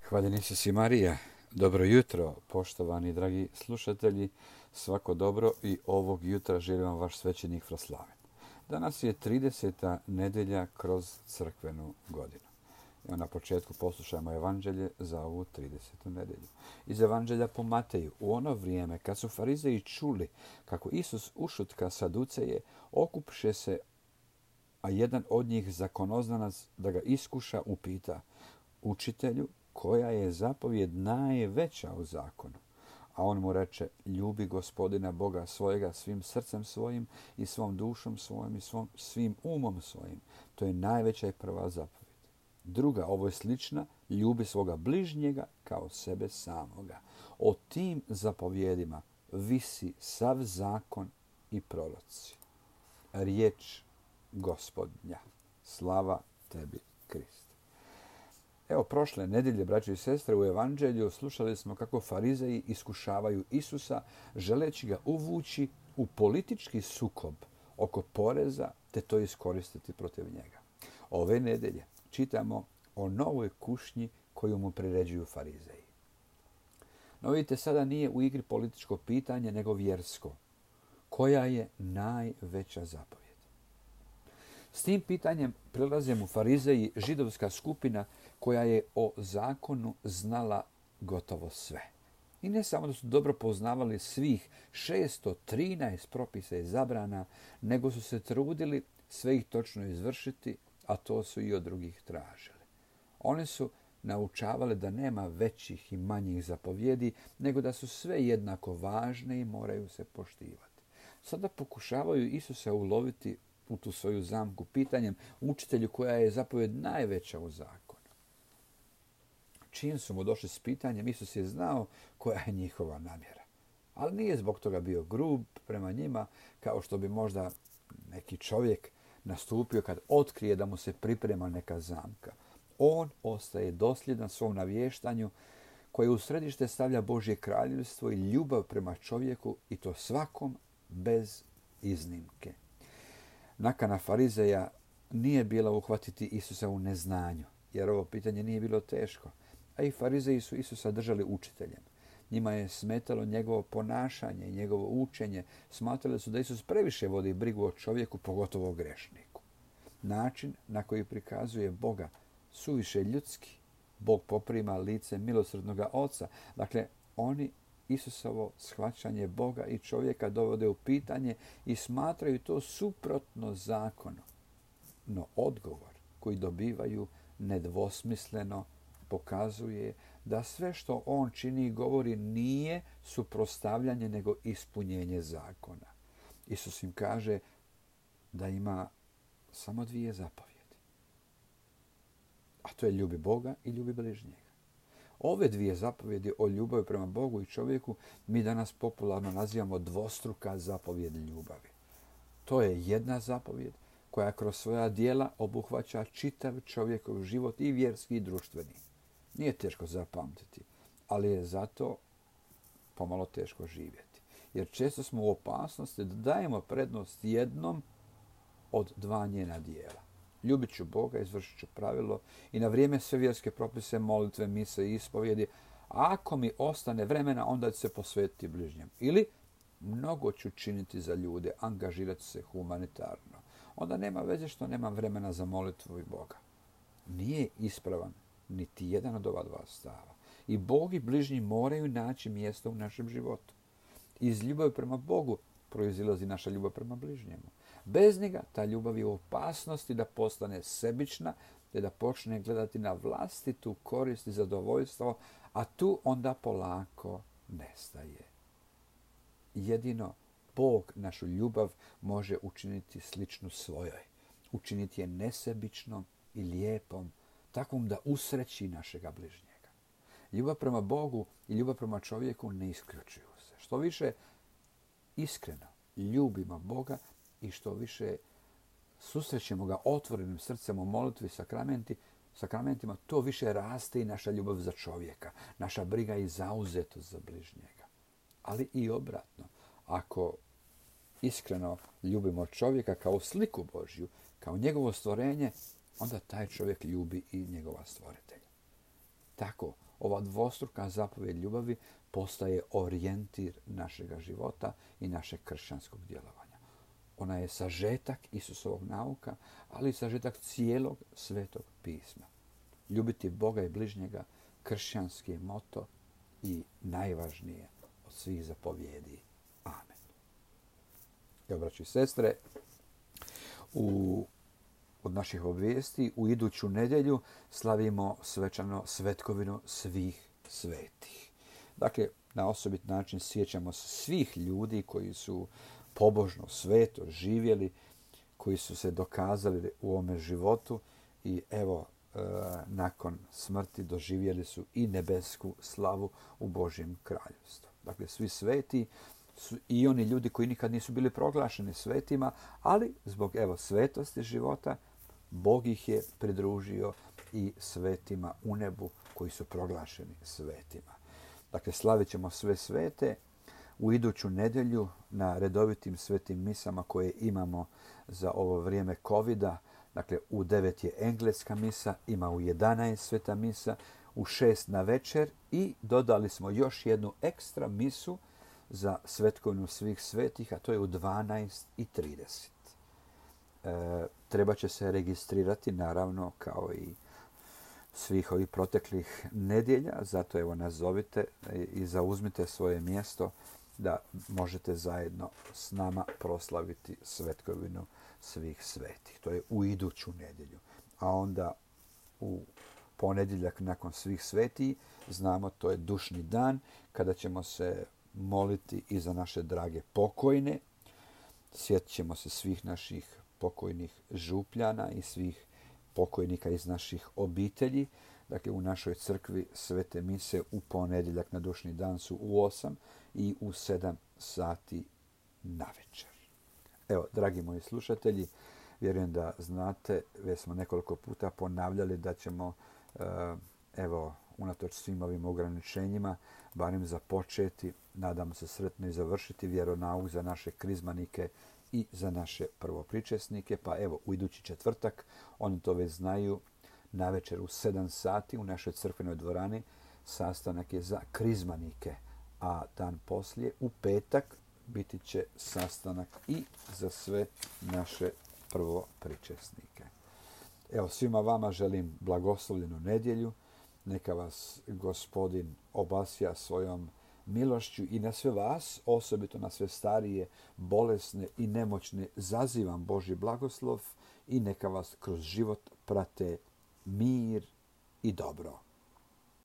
Hvaljen Isus i Marija. Dobro jutro, poštovani dragi slušatelji. Svako dobro i ovog jutra želim vam vaš svećenik Fraslaven. Danas je 30. nedelja kroz crkvenu godinu. Evo na početku poslušajmo evanđelje za ovu 30. nedelju. Iz evanđelja po Mateju. U ono vrijeme kad su farizeji čuli kako Isus ušutka saduceje, okupše se, a jedan od njih zakonoznanac da ga iskuša upita: Učitelju, koja je zapovjed najveća u zakonu? A on mu reče: ljubi Gospodina Boga svojega svim srcem svojim i svom dušom svojim i svim umom svojim. To je najveća i prva zapovjed. Druga, ovo je slična: ljubi svoga bližnjega kao sebe samoga. O tim zapovjedima visi sav zakon i proroci. Riječ Gospodnja. Slava tebi, Kriste. Evo, prošle nedelje, braćo i sestre, u evanđelju slušali smo kako farizeji iskušavaju Isusa, želeći ga uvući u politički sukob oko poreza, te to iskoristiti protiv njega. Ove nedelje čitamo o novoj kušnji koju mu priređuju farizeji. No vidite, sada nije u igri političko pitanje, nego vjersko. Koja je najveća zapovjed? S tim pitanjem prilaze mu farizeji, židovska skupina koja je o zakonu znala gotovo sve. I ne samo da su dobro poznavali svih 613 propisa i zabrana, nego su se trudili sve ih točno izvršiti, a to su i od drugih tražili. Oni su naučavali da nema većih i manjih zapovjedi, nego da su sve jednako važne i moraju se poštivati. Sada pokušavaju Isusa uloviti u tu svoju zamku pitanjem: učitelju, koja je zapovjed najveća u zakonu? Čim su mu došli s pitanjem, Isus je znao koja je njihova namjera. Ali nije zbog toga bio grub prema njima, kao što bi možda neki čovjek nastupio kad otkrije da mu se priprema neka zamka. On ostaje dosljedan svom navještanju koje u središte stavlja Božje kraljevstvo i ljubav prema čovjeku, i to svakom bez iznimke. Nakana farizeja nije bila uhvatiti Isusa u neznanju, jer ovo pitanje nije bilo teško. A i farizeji su Isusa držali učiteljem. Njima je smetalo njegovo ponašanje i njegovo učenje. Smatrali su da Isus previše vodi brigu o čovjeku, pogotovo o grešniku. Način na koji prikazuje Boga suviše ljudski. Bog poprima lice milosrdnoga Oca. Dakle, oni Isusovo shvaćanje Boga i čovjeka dovode u pitanje i smatraju to suprotno zakonu. No odgovor koji dobivaju nedvosmisleno pokazuje da sve što on čini i govori nije suprotstavljanje, nego ispunjenje zakona. Isus im kaže da ima samo dvije zapovjedi. A to je: ljubi Boga i ljubi bližnjega. Ove dvije zapovjedi o ljubavi prema Bogu i čovjeku mi danas popularno nazivamo dvostruka zapovjed ljubavi. To je jedna zapovjed koja kroz svoja djela obuhvaća čitav čovjekov život, i vjerski i društveni. Nije teško zapamtiti, ali je zato pomalo teško živjeti. Jer često smo u opasnosti da dajemo prednost jednom od dva njena dijela. Ljubit ću Boga, izvršit ću pravilo i na vrijeme sve vjerske propise, molitve, mise i ispovjedi. A ako mi ostane vremena, onda ću se posvetiti bližnjem. Ili mnogo ću činiti za ljude, angažirati se humanitarno. Onda nema veze što nemam vremena za molitvu i Boga. Nije ispravan niti jedan od ova dva stava. I Bog i bližnji moraju naći mjesto u našem životu. Iz ljubavi prema Bogu proizilazi naša ljubav prema bližnjemu. Bez njega ta ljubav je u opasnosti da postane sebična, te da počne gledati na vlastitu korist i zadovoljstvo, a tu onda polako nestaje. Jedino Bog našu ljubav može učiniti sličnu svojoj. Učiniti je nesebičnom i lijepom, takvom da usreći našega bližnjega. Ljubav prema Bogu i ljubav prema čovjeku ne isključuju se. Što više iskreno ljubimo Boga i što više susrećemo ga otvorenim srcem u molitvi i sakramentima, to više raste i naša ljubav za čovjeka, naša briga i zauzetost za bližnjega. Ali i obratno, ako iskreno ljubimo čovjeka kao sliku Božju, kao njegovo stvorenje, onda taj čovjek ljubi i njegova stvoritelja. Tako, ova dvostruka zapovjed ljubavi postaje orijentir našega života i našeg kršćanskog djelovanja. Ona je sažetak Isusovog nauka, ali i sažetak cijelog Svetog pisma. Ljubiti Boga i bližnjega, kršćanski je moto i najvažnije od svih zapovjedi. Amen. Evo, braći i sestre, od naših obvijesti u iduću nedjelju slavimo svečano svetkovinu svih svetih. Dakle, na osobit način sjećamo se svih ljudi koji su pobožno, sveto živjeli, koji su se dokazali u ovome životu i evo, nakon smrti doživjeli su i nebesku slavu u Božjem kraljevstvu. Dakle, svi sveti su i oni ljudi koji nikad nisu bili proglašeni svetima, ali zbog svetosti života Bog ih je pridružio i svetima u nebu koji su proglašeni svetima. Dakle, slavit ćemo sve svete u iduću nedjelju na redovitim svetim misama koje imamo za ovo vrijeme covida. Dakle, u 9 je engleska misa, ima u 11 sveta misa, u 6 na večer i dodali smo još jednu ekstra misu za svetkovinu svih svetih, a to je u 12:30. Treba će se registrirati, naravno, kao i svih ovih proteklih nedjelja, zato evo nazovite i zauzmite svoje mjesto da možete zajedno s nama proslaviti svetkovinu svih svetih. To je u iduću nedjelju. A onda u ponedjeljak nakon svih svetih, znamo, to je dušni dan kada ćemo se moliti i za naše drage pokojne. Sjetit ćemo se svih naših pokojnih župljana i svih pokojnika iz naših obitelji. Dakle, u našoj crkvi svete mise u ponedjeljak na dušni dan su u 8 i u 7 sati navečer. Evo, dragi moji slušatelji, vjerujem da znate, već smo nekoliko puta ponavljali da ćemo, unatoč svim ovim ograničenjima, barem započeti, nadamo se sretno i završiti vjeronauk za naše krizmanike i za naše prvopričesnike. Pa evo, u idući četvrtak, oni to već znaju, navečer u 7 sati u našoj crkvenoj dvorani sastanak je za krizmanike, a dan poslije, u petak, biti će sastanak i za sve naše prvopričesnike. Evo, svima vama želim blagoslovljenu nedjelju. Neka vas Gospodin obasja svojom milošću i na sve vas, osobito na sve starije, bolesne i nemoćne, zazivam Božji blagoslov i neka vas kroz život prate mir i dobro.